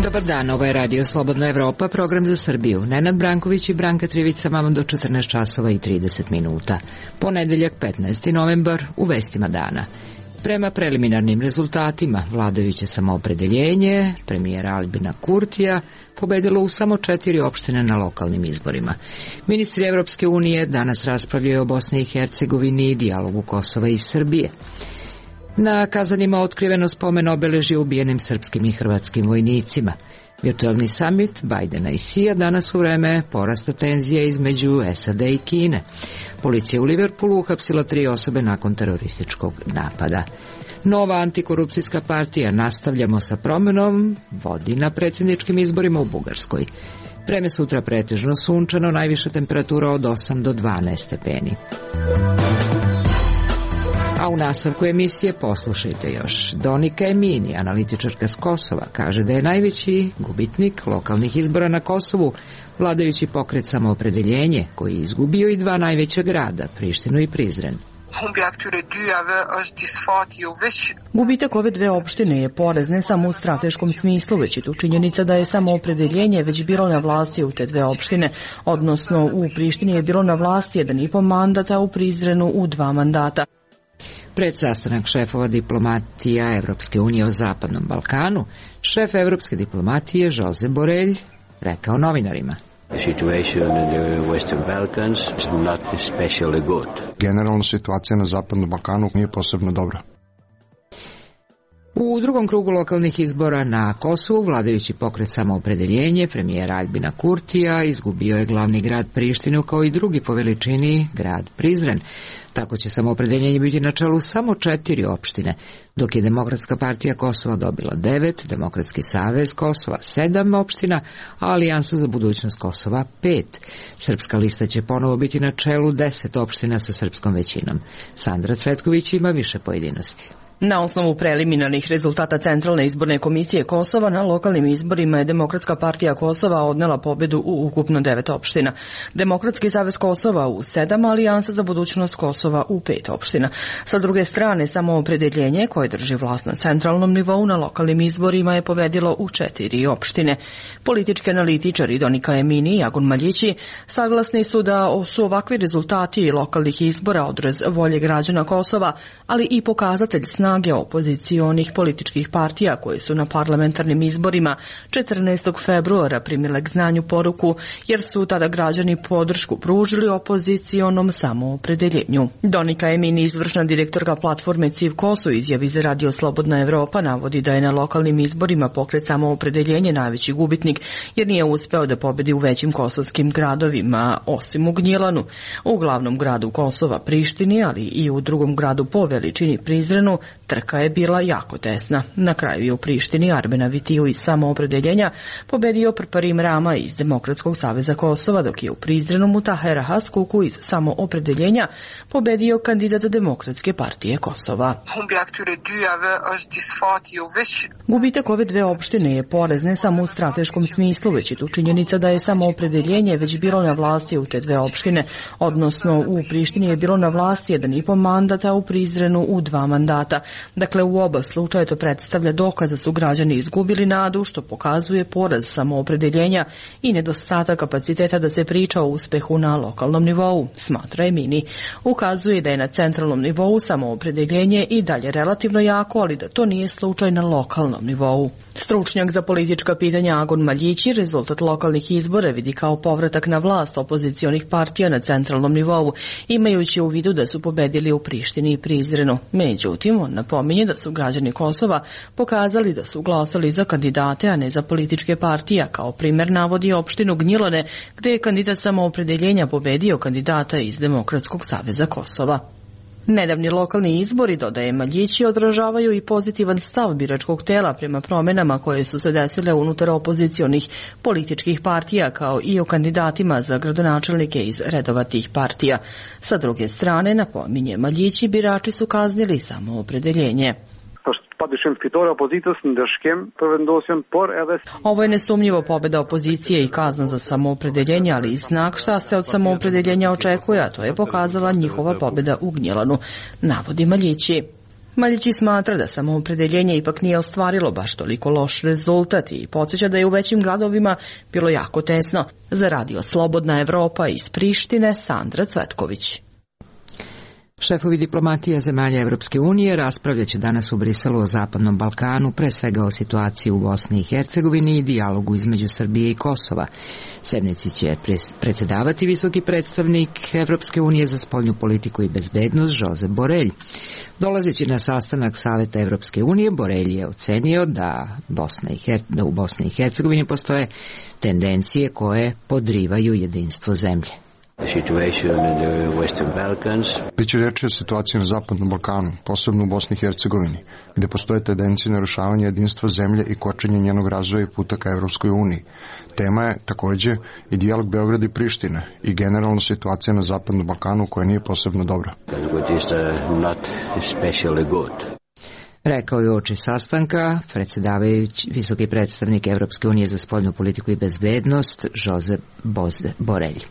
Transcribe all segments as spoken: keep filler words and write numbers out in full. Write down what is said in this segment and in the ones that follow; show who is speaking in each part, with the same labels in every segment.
Speaker 1: Dobar dan, ovo je Radio Slobodna Evropa, program za Srbiju. Nenad Branković i Branka Trivić sa vama do četrnaest časova i trideset minuta. Ponedeljak petnaesti novembar, u vestima dana. Prema preliminarnim rezultatima, vladajuće samoopredeljenje premijera Albina Kurtija pobedilo u samo četiri opštine na lokalnim izborima. Ministri Evropske unije danas raspravljaju o Bosni i Hercegovini i dijalogu Kosova i Srbije. Na Kazanima otkriveno spomen obeležje ubijenim srpskim i hrvatskim vojnicima. Virtualni samit Bajdena i Sija danas u vreme porasta tenzije između S A D i Kine. Policija u Liverpoolu uhapsila tri osobe nakon terorističkog napada. Nova antikorupcijska partija Nastavljamo sa promenom vodi na predsjedničkim izborima u Bugarskoj. Vreme sutra pretežno sunčano, najviša temperatura od osam do dvanaest stepeni. A u nastavku emisije poslušajte još. Donika Emini, analitičarka s Kosova, kaže da je najveći gubitnik lokalnih izbora na Kosovu vladajući pokret Samoopredeljenje, koji je izgubio i dva najveća grada, Prištinu i Prizren.
Speaker 2: Gubitak ove dve opštine je poraz ne samo u strateškom smislu, već i tu činjenica da je Samoopredeljenje već bilo na vlasti u te dve opštine, odnosno u Prištini je bilo na vlasti jedan i po mandata, u Prizrenu u dva mandata.
Speaker 1: Pred sastanak šefova diplomatija Evropske unije o Zapadnom Balkanu, šef evropske diplomatije Josep Borrell rekao novinarima:
Speaker 3: Generalna situacija na Zapadnom Balkanu nije posebno dobra.
Speaker 1: U drugom krugu lokalnih izbora na Kosovu vladajući pokret Samoopredeljenje premijera Albina Kurtija izgubio je glavni grad Prištinu kao i drugi po veličini grad Prizren. Tako će Samoopredeljenje biti na čelu samo četiri opštine, dok je Demokratska partija Kosova dobila devet, Demokratski savez Kosova sedam opština, a Alijansa za budućnost Kosova pet. Srpska lista će ponovo biti na čelu deset opština sa srpskom većinom. Sandra Cvetković ima više pojedinosti.
Speaker 2: Na osnovu preliminarnih rezultata Centralne izborne komisije Kosova na lokalnim izborima je Demokratska partija Kosova odnela pobedu u ukupno devet opština. Demokratski savez Kosova u sedam, Alijansa za budućnost Kosova u pet opština. Sa druge strane, Samoopredeljenje, koje drži vlast na centralnom nivou na lokalnim izborima, je pobedilo u četiri opštine. Politički analitičari Donika Emini i Agun Maljići saglasni su da su ovakvi rezultati lokalnih izbora odraz volje građana Kosova, ali i pokazatelj snage opozicionih političkih partija koje su na parlamentarnim izborima četrnaestog februara primile k znanju poruku, jer su tada građani podršku pružili opozicionom samoopredeljenju. Donika Emini, izvršna direktorka platforme C I V Kos, u izjavi za Radio Slobodna Evropa navodi da je na lokalnim izborima pokret Samoopredeljenje najveći gubitnik, jer nije uspeo da pobedi u većim kosovskim gradovima, osim u Gnjilanu. U glavnom gradu Kosova, Prištini, ali i u drugom gradu po veličini, Prizrenu, trka je bila jako tesna. Na kraju je u Prištini Arbena Vitiju iz Samoopredeljenja pobedio Prparim Rama iz Demokratskog saveza Kosova, dok je u Prizrenu Mutahera Haskuku iz Samoopredeljenja pobedio kandidat Demokratske partije Kosova. Gubitak ove dve opštine je poraz ne samo u strateškom smislu, već i tu činjenica da je Samoopredeljenje već bilo na vlasti u te dve opštine, odnosno u Prištini je bilo na vlasti jedan i po mandata, u Prizrenu u dva mandata. Dakle, u oba slučaja to predstavlja dokaz da su građani izgubili nadu, što pokazuje poraz Samoopredeljenja i nedostatak kapaciteta da se priča o uspehu na lokalnom nivou, smatra Emini. Ukazuje da je na centralnom nivou Samoopredeljenje i dalje relativno jako, ali da to nije slučaj na lokalnom nivou. Stručnjak za politička pitanja Agun Maljići rezultat lokalnih izbora vidi kao povratak na vlast opozicionih partija na centralnom nivou, imajući u vidu da su pobedili u Prištini i Prizrenu. Međutim, on napominje da su građani Kosova pokazali da su glasali za kandidate, a ne za političke partije. Kao primer navodi opštinu Gnjilane, gde je kandidat Samoopredeljenja pobedio kandidata iz Demokratskog saveza Kosova. Nedavni lokalni izbori, dodaje Maljići, odražavaju i pozitivan stav biračkog tela prema promenama koje su se desile unutar opozicionih političkih partija, kao i o kandidatima za gradonačelnike iz redova tih partija. Sa druge strane, napominje Maljići, birači su kaznili Samoopredeljenje. Ovo je nesumnjivo pobeda opozicije i kazna za samoopredeljenje, ali i znak šta se od samoopredeljenja očekuje, a to je pokazala njihova pobeda u Gnjilanu, navodi Maljići. Maljići smatra da samoopredeljenje ipak nije ostvarilo baš toliko loš rezultat i podsjeća da je u većim gradovima bilo jako tesno. Za radio Slobodna Evropa iz Prištine, Sandra Cvetković.
Speaker 1: Šefovi diplomatije zemalja Evropske unije raspravljaće danas u Briselu o Zapadnom Balkanu, pre svega o situaciji u Bosni i Hercegovini i dijalogu između Srbije i Kosova. Sednici će predsedavati visoki predstavnik Evropske unije za spoljnu politiku i bezbednost Josep Borelj. Dolazeći na sastanak Saveta Evropske unije, Borelj je ocenio da, Bosna i Her... da u Bosni i Hercegovini postoje tendencije koje podrivaju jedinstvo zemlje.
Speaker 3: Biće reči o situaciji na Zapadnom Balkanu, posebno u Bosni i Hercegovini, gde postoje tendencije narušavanja jedinstva zemlje i kočenja njenog razvoja i puta ka Evropskoj uniji. Tema je takođe i dijalog Beograda i Prištine i generalna situacija na Zapadnom Balkanu koja nije posebno dobra.
Speaker 1: Rekao je uoči sastanka predsjedavajući visoki predstavnik Evropske unije za spoljnu politiku i bezbednost Josep Borelj.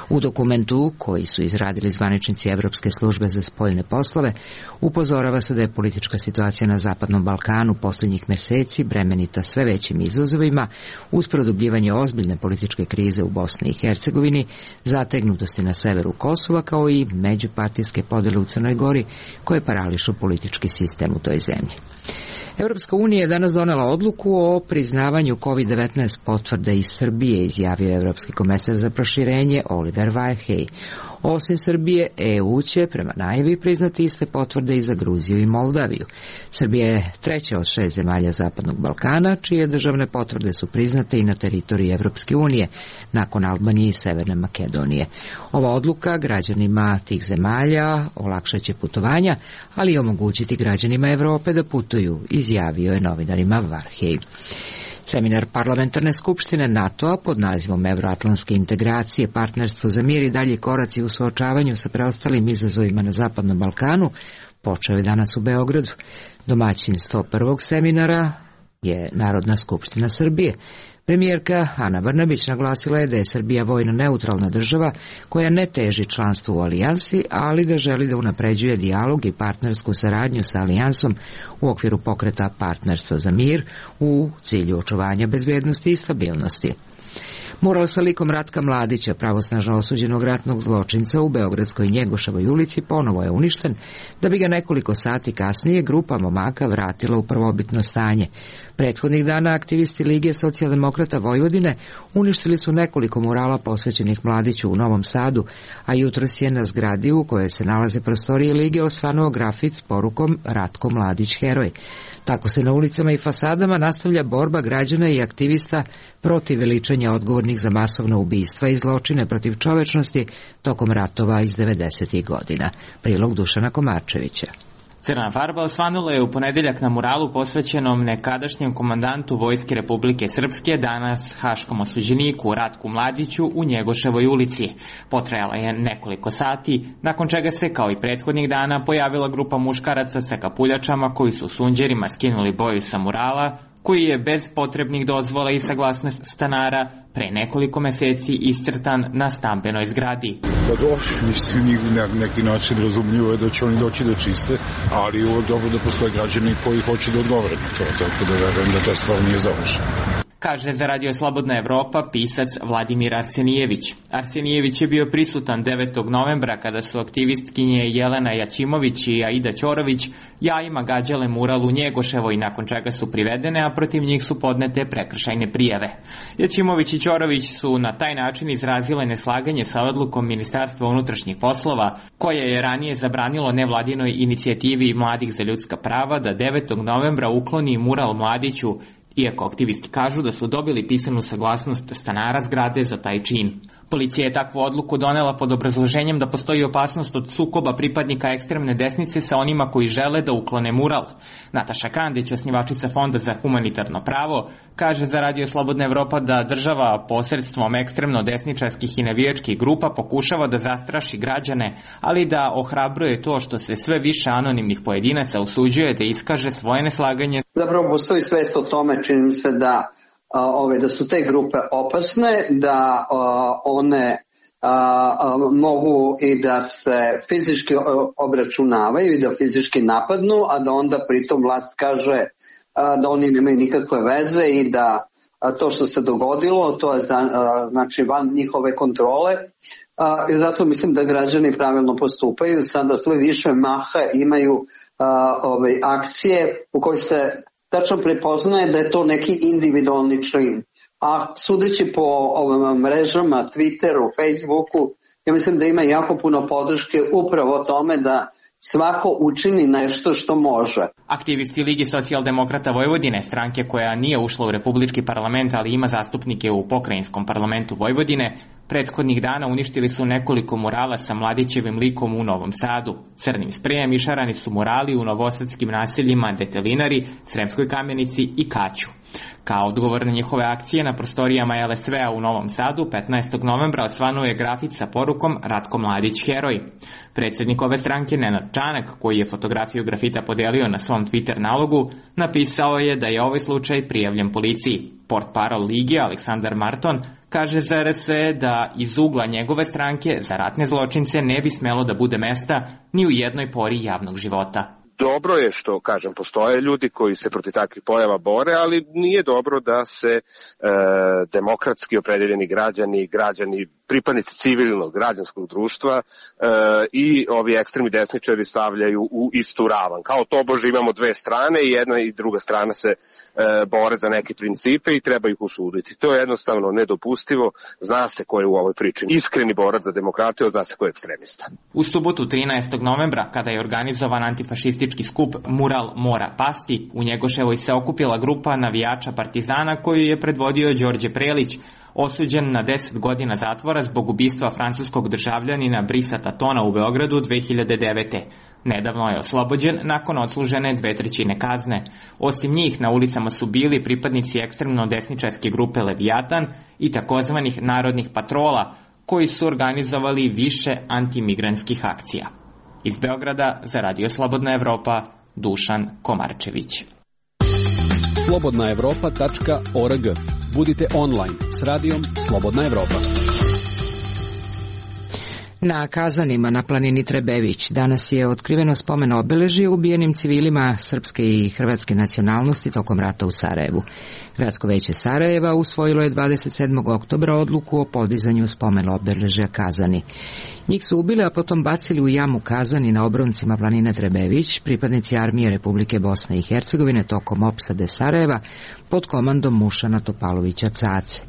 Speaker 1: U dokumentu koji su izradili zvaničnici Evropske službe za spoljne poslove upozorava se da je politička situacija na Zapadnom Balkanu posljednjih meseci bremenita sve većim izazovima uz produbljivanje ozbiljne političke krize u Bosni i Hercegovini, zategnutosti na severu Kosova kao i međupartijske podele u Crnoj Gori koje parališu politički sistem u toj zemlji. Evropska unija je danas donela odluku o priznavanju kovid devetnaest potvrde iz Srbije, izjavio je Evropski komesar za proširenje Oliver Varhej. Osim Srbije, E U će prema najavi priznati iste potvrde i za Gruziju i Moldaviju. Srbija je treća od šest zemalja Zapadnog Balkana, čije državne potvrde su priznate i na teritoriji Evropske unije, nakon Albanije i Severne Makedonije. Ova odluka građanima tih zemalja olakšaće putovanja, ali i omogućiti građanima Evrope da putuju, izjavio je novinarima Varhej. Seminar Parlamentarne skupštine NATO-a pod nazivom Evroatlantske integracije, partnerstvo za mir i dalji koraci u suočavanju sa preostalim izazovima na Zapadnom Balkanu počeo je danas u Beogradu. Domaćin sto prvog seminara je Narodna skupština Srbije. Premijerka Ana Brnabić naglasila je da je Srbija vojno neutralna država koja ne teži članstvu u alijansi, ali da želi da unapređuje dijalog i partnersku saradnju sa alijansom u okviru pokreta Partnerstvo za mir u cilju očuvanja bezbednosti i stabilnosti. Mural sa likom Ratka Mladića, pravosnažno osuđenog ratnog zločinca u Beogradskoj Njegoševoj ulici, ponovo je uništen, da bi ga nekoliko sati kasnije grupa momaka vratila u prvobitno stanje. Prethodnih dana aktivisti Lige socijaldemokrata Vojvodine uništili su nekoliko murala posvećenih Mladiću u Novom Sadu, a jutros je na zgradi u kojoj se nalaze prostorije Lige osvanuo grafit s porukom Ratko Mladić heroj. Tako se na ulicama i fasadama nastavlja borba građana i aktivista protiv veličanja odgovornih za masovna ubistva i zločine protiv čovečnosti tokom ratova iz devedesetih godina. Prilog Dušana Komarčevića.
Speaker 4: Crna farba osvanula je u ponedeljak na muralu posvećenom nekadašnjem komandantu Vojske Republike Srpske, danas haškom osuđeniku Ratku Mladiću u Njegoševoj ulici. Potrajala je nekoliko sati, nakon čega se, kao i prethodnih dana, pojavila grupa muškaraca sa kapuljačama koji su sunđerima skinuli boju sa murala, koji je bez potrebnih dozvola i saglasnosti stanara pre nekoliko meseci iscrtan na stambenoj zgradi.
Speaker 5: Pa dobro, mislim, na neki način razumljivo je da će oni doći da čiste, ali je uvek dobro da postoje građani koji hoće da odgovore na to, tako da verujem da ta stvar nije završena.
Speaker 4: Kaže za Radio Slobodna Evropa pisac Vladimir Arsenijević. Arsenijević je bio prisutan devetog novembra kada su aktivistkinje Jelena Jaćimović i Aida Ćorović jajima gađale mural u Njegoševoj, nakon čega su privedene, a protiv njih su podnete prekršajne prijave. Jaćimović i Ćorović su na taj način izrazile neslaganje sa odlukom Ministarstva unutrašnjih poslova, koje je ranije zabranilo nevladinoj inicijativi Mladih za ljudska prava da devetog novembra ukloni mural Mladiću, iako aktivisti kažu da su dobili pisanu saglasnost stanara zgrade za taj čin. Policija je takvu odluku donela pod obrazloženjem da postoji opasnost od sukoba pripadnika ekstremne desnice sa onima koji žele da uklone mural. Nataša Kandić, osnivačica Fonda za humanitarno pravo, kaže za Radio Slobodna Evropa da država posredstvom ekstremno desničarskih i navijačkih grupa pokušava da zastraši građane, ali da ohrabruje to što se sve više anonimnih pojedinaca usuđuje da iskaže svoje neslaganje.
Speaker 6: Zapravo postoji svest o tome, čini se da Ove, da su te grupe opasne, da a, one a, a, mogu i da se fizički obračunavaju i da fizički napadnu, a da onda pritom vlast kaže a, da oni nemaju nikakve veze i da a, to što se dogodilo, to je za, a, znači van njihove kontrole. A, i zato mislim da građani pravilno postupaju. Sada sve više maha imaju a, ove, akcije u kojoj se tačno prepoznaje da je to neki individualni čin. A sudeći po ovim mrežama, Twitteru, Facebooku, ja mislim da ima jako puno podrške upravo tome da svako učini nešto što može.
Speaker 4: Aktivisti Ligi socijaldemokrata Vojvodine, stranke koja nije ušla u republički parlament, ali ima zastupnike u pokrajinskom parlamentu Vojvodine, prethodnih dana uništili su nekoliko murala sa Mladićevim likom u Novom Sadu. Crnim sprejem išarani su murali u novosadskim naseljima Detelinari, Sremskoj Kamenici i Kaću. Kao odgovor na njihove akcije na prostorijama el es ve a u Novom Sadu, petnaestog novembra osvanuo je grafit sa porukom Ratko Mladić heroj. Predsjednik ove stranke Nenad Čanak, koji je fotografiju grafita podelio na svom Twitter nalogu, napisao je da je ovaj slučaj prijavljen policiji. Portparol Lige Aleksandar Marton kaže za er es ve da iz ugla njegove stranke za ratne zločince ne bi smelo da bude mesta ni u jednoj pori javnog života.
Speaker 7: Dobro je što, kažem, postoje ljudi koji se protiv takvih pojava bore, ali nije dobro da se e, demokratski opredeljeni građani, građani, pripadnici civilnog građanskog društva e, i ovi ekstremni desničari stavljaju u istu ravan. Kao tobože imamo dve strane i jedna i druga strana se e, bore za neke principe i treba ih usuditi. To je jednostavno nedopustivo. Zna se ko je u ovoj priči iskreni borac za demokratiju, zna se ko je ekstremista.
Speaker 4: U subotu trinaestog novembra, kada je organizovan antifašistički skup Mural mora pasti, u Njegoševoj se okupila grupa navijača Partizana koju je predvodio Đorđe Prelić, osuđen na deset godina zatvora zbog ubistva francuskog državljanina Brisa Tatona u Beogradu dve hiljade devete. Nedavno je oslobođen nakon odslužene dve trećine kazne. Osim njih, na ulicama su bili pripadnici ekstremno desničarske grupe Leviatan i takozvanih narodnih patrola, koji su organizovali više antimigrantskih akcija. Iz Beograda za Radio Slobodna Evropa, Dušan Komarčević.
Speaker 8: slobodna evropa tačka org. Budite online s radijom Slobodna Evropa.
Speaker 1: Na Kazanima na planini Trebević danas je otkriveno spomen obeležje ubijenim civilima srpske i hrvatske nacionalnosti tokom rata u Sarajevu. Gradsko veće Sarajeva usvojilo je dvadeset sedmog oktobra odluku o podizanju spomen obeležja Kazani. Njih su ubili, a potom bacili u jamu Kazani na obroncima planine Trebević pripadnici armije Republike Bosne i Hercegovine tokom opsade Sarajeva pod komandom Mušana Topalovića Cace.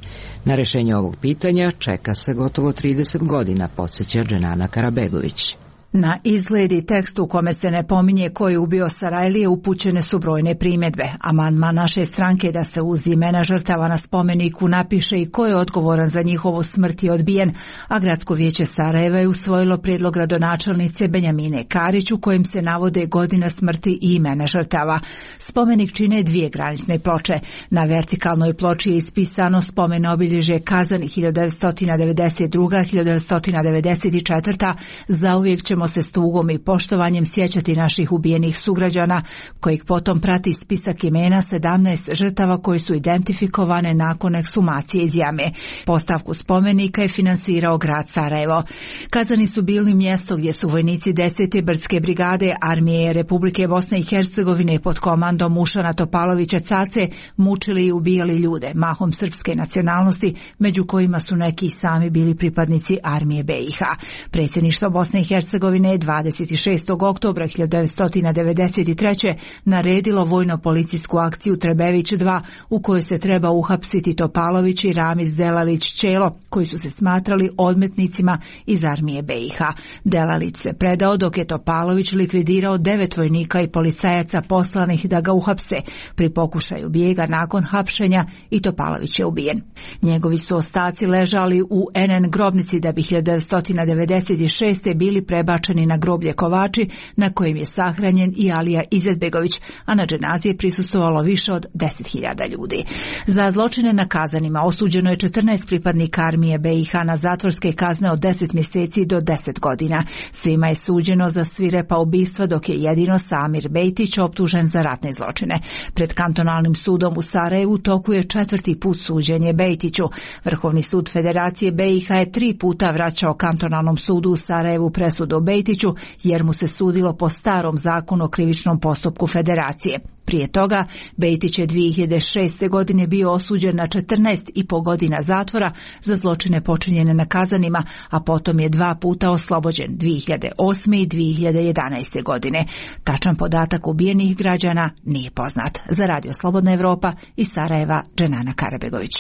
Speaker 1: Na rešenje ovog pitanja čeka se gotovo trideset godina, podsjeća Dženana Karabegović.
Speaker 9: Na izgled i tekst u kome se ne pominje ko je ubio Sarajlije upućene su brojne primjedbe. Amandman naše stranke da se uz imena žrtava na spomeniku napiše i ko je odgovoran za njihovu smrt je odbijen, a Gradsko vijeće Sarajeva je usvojilo prijedlog gradonačelnice Benjamine Karić u kojem se navode godina smrti i imena žrtava. Spomenik čine dvije granične ploče. Na vertikalnoj ploči je ispisano spomen obilježje Kazani hiljadu devetsto devedeset druga do hiljadu devetsto devedeset četvrta. Zauvijek ćemo se s tugom i poštovanjem sjećati naših ubijenih sugrađana, kojih potom prati spisak imena sedamnaest žrtava koje su identifikovane nakon ekshumacije iz jame. Postavku spomenika je finansirao grad Sarajevo. Kazani su bili mjesto gdje su vojnici desete brdske brigade armije Republike Bosne i Hercegovine pod komandom Mušana Topalovića Cace mučili i ubijali ljude, mahom srpske nacionalnosti, među kojima su neki sami bili pripadnici armije be i ha. Predsjedništvo Bosne i Hercegovine Hercegovine dvadeset šestog oktobra hiljadu devetsto devedeset treće. naredilo vojno-policijsku akciju Trebević dva u kojoj se treba uhapsiti Topalović i Ramiz Delalić Čelo, koji su se smatrali odmetnicima iz armije be i ha. Delalić se predao dok je Topalović likvidirao devet vojnika i policajaca poslanih da ga uhapse. Pri pokušaju bijega nakon hapšenja i Topalović je ubijen. Njegovi su ostaci ležali u en en grobnici da bi hiljadu devetsto devedeset šeste. bili prebačeni na groblje Kovači na kojem je sahranjen i Alija Izetbegović, a na dženazi je prisustvovalo više od deset hiljada ljudi. Za zločine na Kazanima osuđeno je četrnaest pripadnika armije be i ha na zatvorske kazne od deset mjeseci do deset godina. Svima je suđeno za svirepa ubistva, dok je jedino Samir Bejtić optužen za ratne zločine. Pred kantonalnim sudom u Sarajevu toku je četvrti put suđenje Bejtiću. Vrhovni sud Federacije be i ha je tri puta vraćao kantonalnom sudu u Sarajevu presudu o Bejtiću, jer mu se sudilo po starom zakonu o krivičnom postupku Federacije. Prije toga, Bejtić je dvije hiljade šeste. godine bio osuđen na četrnaest i po godina zatvora za zločine počinjene na Kazanima, a potom je dva puta oslobođen dvije hiljade osme. i dvije hiljade jedanaeste. godine. Tačan podatak ubijenih građana nije poznat. Za Radio Slobodna Evropa iz Sarajeva, Dženana Karabegović.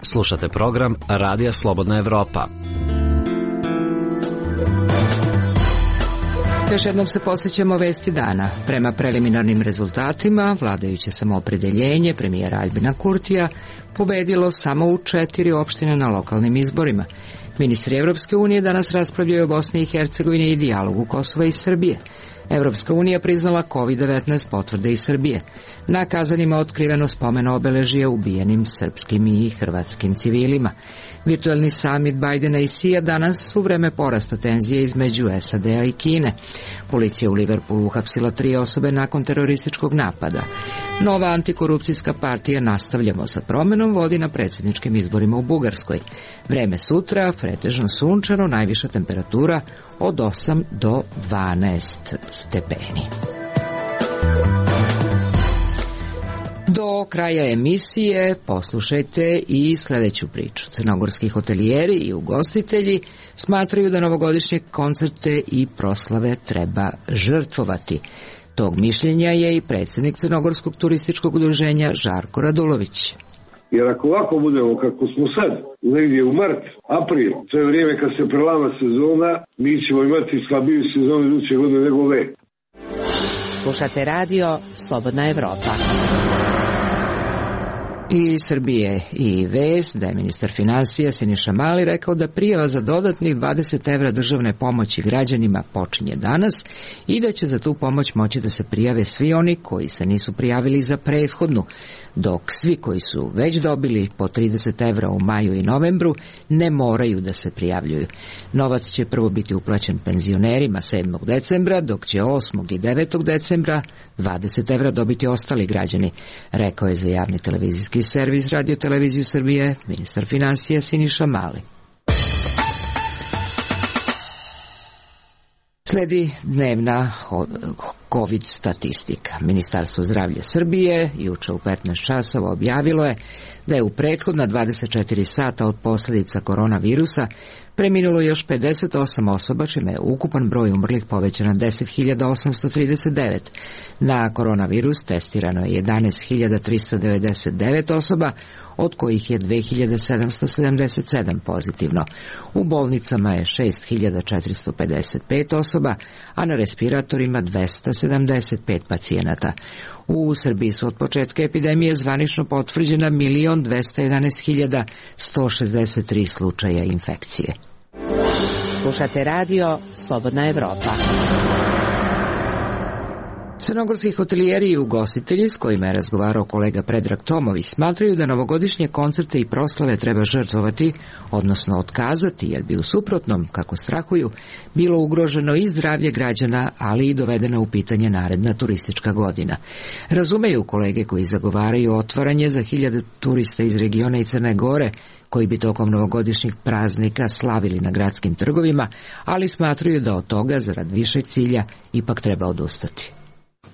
Speaker 10: Slušate program Radija Slobodna Evropa.
Speaker 1: Još jednom se podsjećamo vesti dana. Prema preliminarnim rezultatima, vladajuće samoopredeljenje premijera Aljbina Kurtija pobedilo samo u četiri opštine na lokalnim izborima. Ministri Evropske unije danas raspravljaju o Bosni i Hercegovini i dijalogu Kosova i Srbije. Evropska unija priznala kovid devetnaest potvrde iz Srbije. Na Kazanima otkriveno spomen obeležije ubijenim srpskim i hrvatskim civilima. Virtualni samit Bajdena i Sija danas u vreme porasta tenzije između es a de a i Kine. Policija u Liverpoolu uhapsila tri osobe nakon terorističkog napada. Nova antikorupcijska partija Nastavljamo sa promenom vodi na predsjedničkim izborima u Bugarskoj. Vreme sutra, pretežno sunčano, najviša temperatura od osam do dvanaest stepeni. Do kraja emisije poslušajte i sljedeću priču. Crnogorski hotelijeri i ugostitelji smatraju da novogodišnje koncerte i proslave treba žrtvovati. Tog mišljenja je i predsjednik Crnogorskog turističkog udruženja Žarko Radulović.
Speaker 11: Jer ako ovako budemo kako smo sad, negdje u mart, april, to je vrijeme kad se prelama sezona, mi ćemo imati slabiju sezonu iduće godine nego ove.
Speaker 1: Slušate radio Slobodna Evropa. I Srbije i vest da je ministar financija Siniša Mali rekao da prijava za dodatnih dvadeset evra državne pomoći građanima počinje danas i da će za tu pomoć moći da se prijave svi oni koji se nisu prijavili za prethodnu, dok svi koji su već dobili po trideset evra u maju i novembru ne moraju da se prijavljuju. Novac će prvo biti uplaćen penzionerima sedmog decembra, dok će osmog i devetog decembra dvadeset evra dobiti ostali građani, rekao je za javni televizijski servis Radio Televiziju Srbije ministar financija Siniša Mali. Sledi dnevna COVID statistika. Ministarstvo zdravlja Srbije juče u petnaest časova objavilo je da je u prethodna dvadeset četiri sata od posljedica koronavirusa preminulo još pedeset osam osoba, čime je ukupan broj umrlih povećan na deset hiljada osamsto trideset devet. Na koronavirus testirano je jedanaest hiljada tristo devedeset devet osoba, od kojih je dve hiljade sedamsto sedamdeset sedam pozitivno. U bolnicama je šest hiljada četiristo pedeset pet osoba, a na respiratorima dvesta sedamdeset pet pacijenata. U Srbiji su od početka epidemije zvanično potvrđena milion dvesta jedanaest hiljada sto šezdeset tri slučaja infekcije. Slušate radio Slobodna Evropa. Crnogorski hotelijeri i ugostitelji s kojima je razgovarao kolega Predrag Tomović smatraju da novogodišnje koncerte i proslave treba žrtvovati, odnosno otkazati, jer bi u suprotnom, kako strahuju, bilo ugroženo i zdravlje građana, ali i dovedena u pitanje naredna turistička godina. Razumeju kolege koji zagovaraju otvaranje za hiljade turista iz regiona i Crne Gore, koji bi tokom novogodišnjih praznika slavili na gradskim trgovima, ali smatraju da od toga, zarad višeg cilja, ipak treba odustati.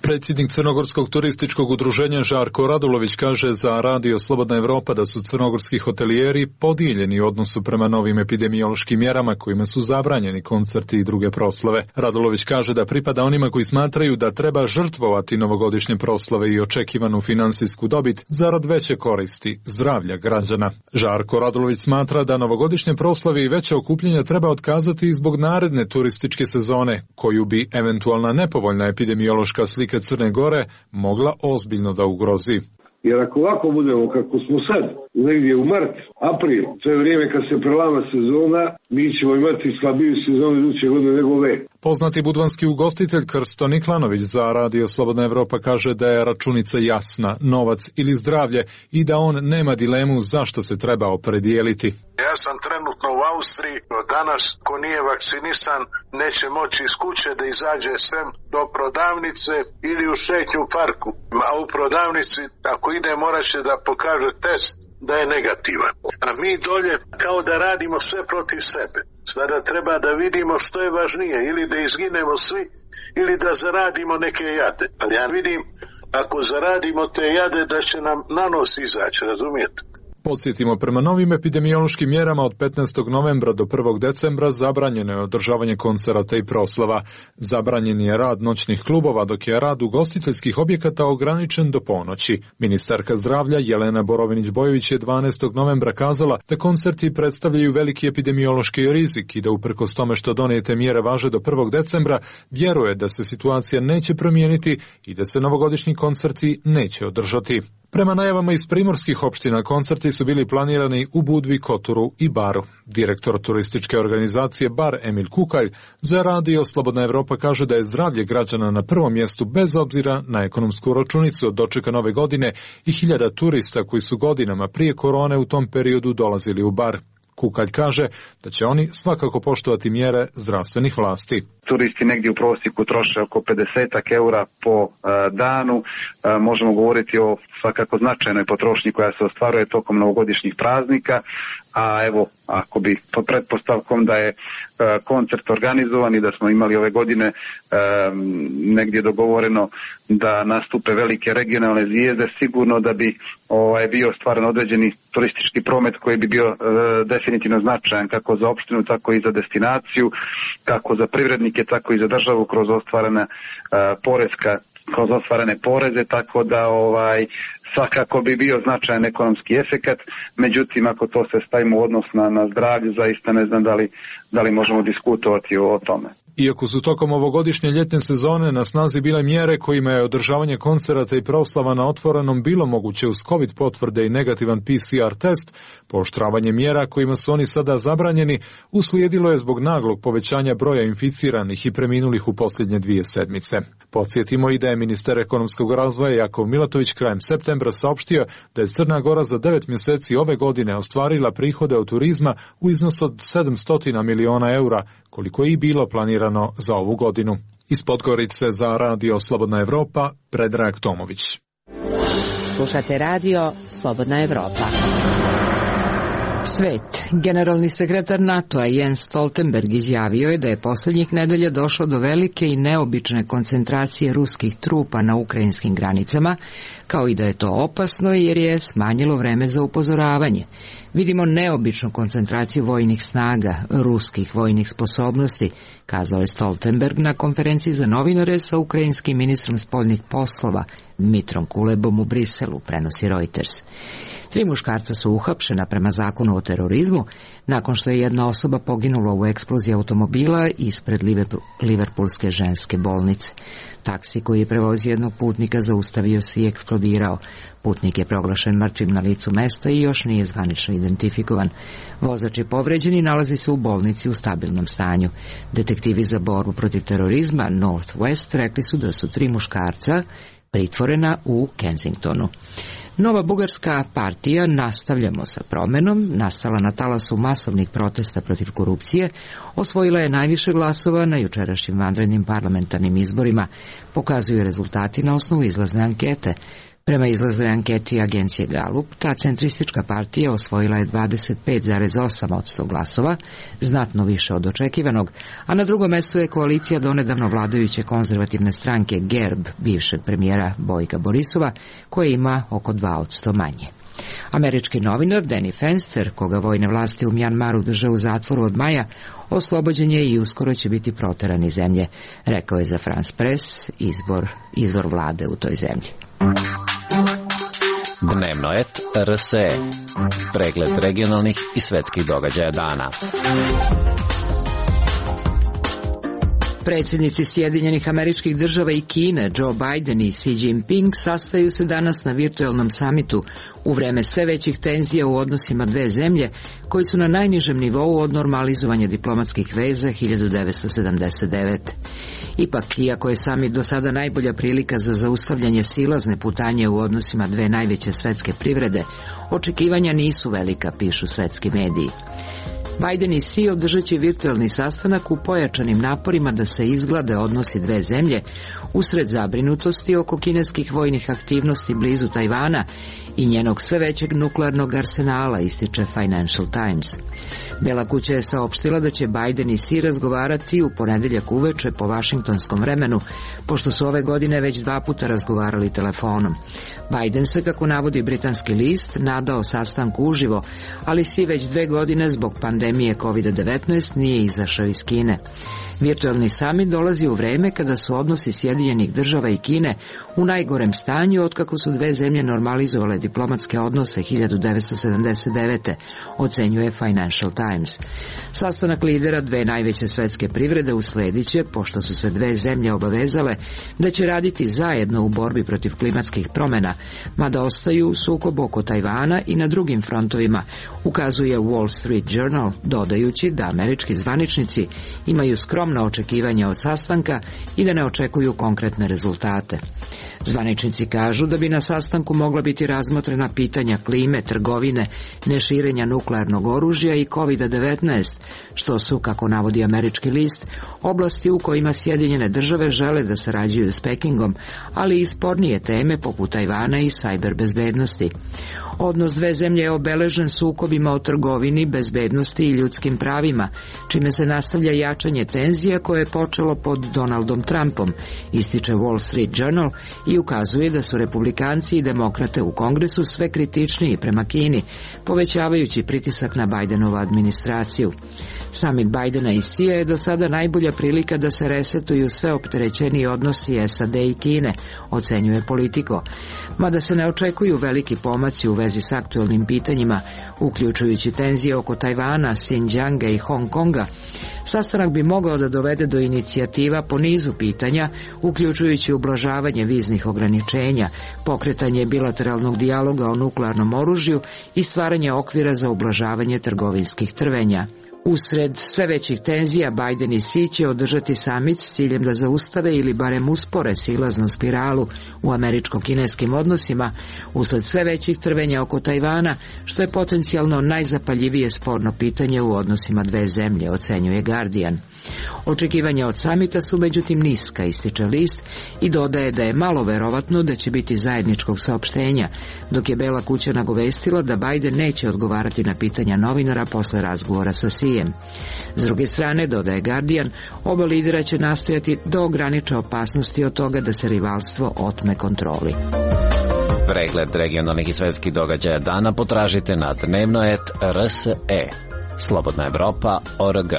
Speaker 12: Predsjednik Crnogorskog turističkog udruženja Žarko Radulović kaže za Radio Slobodna Evropa da su crnogorski hotelijeri podijeljeni u odnosu prema novim epidemiološkim mjerama kojima su zabranjeni koncerti i druge proslave. Radulović kaže da pripada onima koji smatraju da treba žrtvovati novogodišnje proslave i očekivanu finansijsku dobit zarad veće koristi zdravlja građana. Žarko Radulović smatra da novogodišnje proslave i veće okupljenja treba otkazati i zbog naredne turističke sezone, koju bi eventualna nepovoljna epidemiološka slika Crne Gore mogla ozbiljno da ugrozi.
Speaker 11: Jer ako ovako budemo kako smo sad, negdje u mart, april, to je vrijeme kad se prelama sezona, mi ćemo imati slabiju sezonu iduće godine nego ove.
Speaker 12: Poznati budvanski ugostitelj Krsto Niklanović za Radio Slobodna Evropa kaže da je računica jasna, novac ili zdravlje, i da on nema dilemu zašto se treba opredijeliti.
Speaker 13: Ja sam trenutno u Austriji, danas ko nije vakcinisan neće moći iz kuće da izađe sem do prodavnice ili u šetnju u parku. A u prodavnici ako ide morat će da pokaže test da je negativan. A mi dolje kao da radimo sve protiv sebe. Sada treba da vidimo što je važnije, ili da izginemo svi ili da zaradimo neke jade. Ali ja vidim ako zaradimo te jade da će nam na nos izaći, razumijete?
Speaker 12: Podsjetimo, prema novim epidemiološkim mjerama od petnaestog novembra do prvog decembra zabranjeno je održavanje koncerata i proslava. Zabranjen je rad noćnih klubova, dok je rad ugostiteljskih objekata ograničen do ponoći. Ministarka zdravlja Jelena Borovinić-Bojović je dvanaestog novembra kazala da koncerti predstavljaju veliki epidemiološki rizik i da uprkos tome što donijete mjere važe do prvog decembra, vjeruje da se situacija neće promijeniti i da se novogodišnji koncerti neće održati. Prema najavama iz primorskih opština, koncerti su bili planirani u Budvi, Koturu i Baru. Direktor turističke organizacije Bar Emil Kukalj za Radio Slobodna Evropa kaže da je zdravlje građana na prvom mjestu bez obzira na ekonomsku računicu od dočeka nove godine i hiljada turista koji su godinama prije korone u tom periodu dolazili u Bar. Kukalj kaže da će oni svakako poštovati mjere zdravstvenih vlasti.
Speaker 14: Turisti negdje u prosjeku troše oko pedeset eura po uh, danu. Uh, možemo govoriti o svakako značajnoj potrošnji koja se ostvaruje tokom novogodišnjih praznika. A evo, ako bi pod pretpostavkom da je uh, koncert organizovan i da smo imali ove godine um, negdje dogovoreno da nastupe velike regionalne zvijezde, sigurno da bi ovaj, bio stvaran određeni turistički promet koji bi bio uh, definitivno značajan kako za opštinu, tako i za destinaciju, kako za privrednike, tako i za državu kroz ostvarena uh, poreska, kroz ostvarene poreze, tako da ovaj svakako bi bio značajan ekonomski efekat. Međutim, ako to se stavimo u odnos na, na zdravlje, zaista ne znam da li, da li možemo diskutovati o, o tome.
Speaker 12: Iako su tokom ovogodišnje ljetne sezone na snazi bile mjere kojima je održavanje koncerata i proslava na otvorenom bilo moguće uz COVID potvrde i negativan P C R test, pooštravanje mjera kojima su oni sada zabranjeni uslijedilo je zbog naglog povećanja broja inficiranih i preminulih u posljednje dvije sedmice. Podsjetimo i da je ministar ekonomskog razvoja Jakov Milatović krajem septembra saopštio da je Crna Gora za devet mjeseci ove godine ostvarila prihode od turizma u iznosu od sedamsto miliona eura, koliko je i bilo planirano za ovu godinu. Iz Podgorice za Radio Slobodna Evropa, Predrag Tomović.
Speaker 1: Slušate Radio Slobodna Evropa. Svet. Generalni sekretar NATO-a Jens Stoltenberg izjavio je da je posljednjih nedelja došlo do velike i neobične koncentracije ruskih trupa na ukrajinskim granicama, kao i da je to opasno jer je smanjilo vreme za upozoravanje. Vidimo neobičnu koncentraciju vojnih snaga, ruskih vojnih sposobnosti, kazao je Stoltenberg na konferenciji za novinare sa ukrajinskim ministrom spoljnih poslova Dmitrom Kulebom u Briselu, prenosi Reuters. Tri muškarca su uhapšena prema zakonu o terorizmu nakon što je jedna osoba poginula u eksploziji automobila ispred Liverpoolske ženske bolnice. Taksi koji je prevozio jednog putnika zaustavio se i eksplodirao. Putnik je proglašen mrtvim na licu mesta i još nije zvanično identifikovan. Vozač je povređen i nalazi se u bolnici u stabilnom stanju. Detektivi za borbu protiv terorizma Northwest rekli su da su tri muškarca pritvorena u Kensingtonu. Nova bugarska partija Nastavljamo sa promenom, nastala na talasu masovnih protesta protiv korupcije, osvojila je najviše glasova na jučerašnjim vanrednim parlamentarnim izborima, pokazuju rezultati na osnovu izlazne ankete. Prema izlaznoj anketi agencije Gallup, ta centristička partija osvojila je dvadeset pet zarez osam posto glasova, znatno više od očekivanog, a na drugom mestu je koalicija donedavno vladajuće konzervativne stranke G E R B, bivšeg premijera Bojka Borisova, koja ima oko dva posto manje. Američki novinar Danny Fenster, koga vojne vlasti u Mjanmaru drže u zatvoru od maja, oslobođen je i uskoro će biti proteran iz zemlje, rekao je za France Press izbor, izvor vlade u toj zemlji.
Speaker 10: Dnevno et R S E. Pregled regionalnih i svetskih događaja dana.
Speaker 1: Predsjednici Sjedinjenih Američkih Država i Kine, Joe Biden i Xi Jinping, sastaju se danas na virtuelnom samitu u vreme sve većih tenzija u odnosima dve zemlje, koji su na najnižem nivou od normalizovanja diplomatskih veza hiljadu devetsto sedamdeset devete. Ipak, iako je samit do sada najbolja prilika za zaustavljanje silazne putanje u odnosima dve najveće svetske privrede, očekivanja nisu velika, pišu svetski mediji. Biden i Xi održat će virtuelni sastanak u pojačanim naporima da se izglade odnosi dve zemlje usred zabrinutosti oko kineskih vojnih aktivnosti blizu Tajvana i njenog sve većeg nuklearnog arsenala, ističe Financial Times. Bela kuća je saopštila da će Biden i Xi razgovarati u ponedeljak uveče po vašingtonskom vremenu, pošto su ove godine već dva puta razgovarali telefonom. Biden se, kako navodi britanski list, nadao sastanku uživo, ali Xi već dve godine zbog pandemije kovid devetnaest nije izašao iz Kine. Virtuelni samit dolazi u vreme kada su odnosi Sjedinjenih Država i Kine u najgorem stanju otkako su dve zemlje normalizovale diplomatske odnose hiljadu devetsto sedamdeset devete, ocenjuje Financial Times. Sastanak lidera dve najveće svetske privrede usledit će, pošto su se dve zemlje obavezale da će raditi zajedno u borbi protiv klimatskih promjena, mada ostaju u sukobu oko Tajvana i na drugim frontovima, ukazuje Wall Street Journal, dodajući da američki zvaničnici imaju skromna očekivanja od sastanka i da ne očekuju konkretne rezultate. Zvaničnici kažu da bi na sastanku mogla biti razmotrena pitanja klime, trgovine, neširenja nuklearnog oružja i kovid devetnaest, što su, kako navodi američki list, oblasti u kojima Sjedinjene Države žele da sarađuju s Pekingom, ali i spornije teme poput Tajvana i sajber bezbednosti. Odnos dve zemlje je obeležen sukobima o trgovini, bezbednosti i ljudskim pravima, čime se nastavlja jačanje tenzija koje je počelo pod Donaldom Trumpom, ističe Wall Street Journal i ukazuje da su republikanci i demokrate u Kongresu sve kritičniji prema Kini, povećavajući pritisak na Bidenovu administraciju. Samit Bidena i Xija je do sada najbolja prilika da se resetuju sve opterećeniji odnosi S A D i Kine, ocenjuje Politico. Mada se ne očekuju veliki pomaci u vezi s aktualnim pitanjima, uključujući tenzije oko Tajvana, Xinjianga i Hong Konga, sastanak bi mogao da dovede do inicijativa po nizu pitanja, uključujući ublažavanje viznih ograničenja, pokretanje bilateralnog dijaloga o nuklearnom oružju i stvaranje okvira za ublažavanje trgovinskih trvenja. Usred sve većih tenzija, Biden i Xi će održati samit s ciljem da zaustave ili barem uspore silaznu spiralu u američko-kineskim odnosima usled sve većih trvenja oko Tajvana, što je potencijalno najzapaljivije sporno pitanje u odnosima dve zemlje, ocenjuje Guardian. Očekivanja od samita su međutim niska, ističe list, i dodaje da je malo verovatno da će biti zajedničkog saopštenja, dok je Bela kuća nagovestila da Biden neće odgovarati na pitanja novinara posle razgovora sa Xijem. S druge strane, dodaje Guardian, oba lidera će nastojati da ograniče opasnosti od toga da se rivalstvo otme kontroli.
Speaker 10: Pregled regionalnih i svetskih događaja dana potražite na dnevno et R S E. Slobodna Evropa, O R G.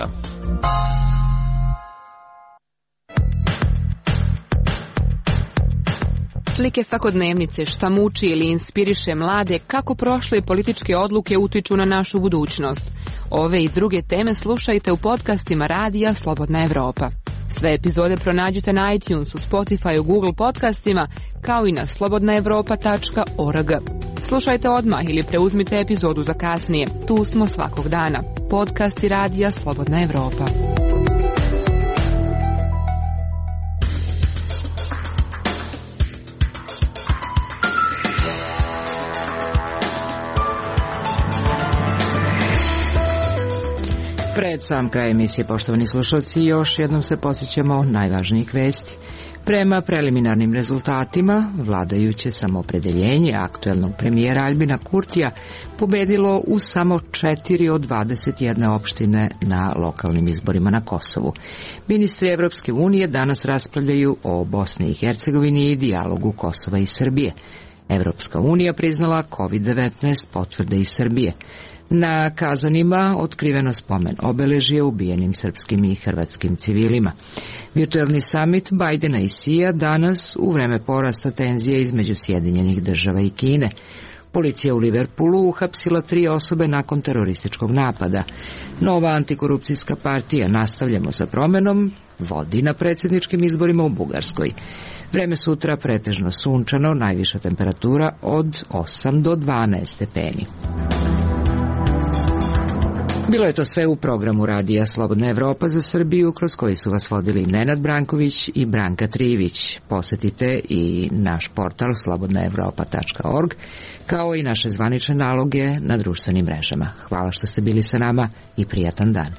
Speaker 15: Slike svakodnevnice, šta muči ili inspiriše mlade, kako prošle političke odluke utiču na našu budućnost. Ove i druge teme slušajte u podcastima Radija Slobodna Evropa. Sve epizode pronađite na iTunesu, Spotify, Google podcastima, kao i na slobodna evropa tačka org. Slušajte odmah ili preuzmite epizodu za kasnije. Tu smo svakog dana. Podcasti Radija Slobodna Evropa.
Speaker 1: Pred sam kraj emisije, poštovani slušalci, još jednom se podsjećamo najvažnijih vesti. Prema preliminarnim rezultatima, vladajuće samoopredeljenje aktuelnog premijera Aljbina Kurtija pobedilo u samo četiri od dvadeset jedne opštine na lokalnim izborima na Kosovu. Ministri Evropske unije danas raspravljaju o Bosni i Hercegovini i dijalogu Kosova i Srbije. Evropska unija priznala kovid devetnaest potvrde iz Srbije. Na Kazanima otkriveno spomen obeležje ubijenim srpskim i hrvatskim civilima. Virtuelni samit Bajdena i Sija danas u vreme porasta tenzije između Sjedinjenih država i Kine. Policija u Liverpoolu uhapsila tri osobe nakon terorističkog napada. Nova antikorupcijska partija Nastavljamo sa promenom vodi na predsjedničkim izborima u Bugarskoj. Vreme sutra pretežno sunčano, najviša temperatura od osam do dvanaest stepeni. Bilo je to sve u programu radija Slobodna Evropa za Srbiju, kroz koji su vas vodili Nenad Branković i Branka Trivić. Posetite i naš portal slobodna evropa tačka org, kao i naše zvanične naloge na društvenim mrežama. Hvala što ste bili sa nama i prijatan dan.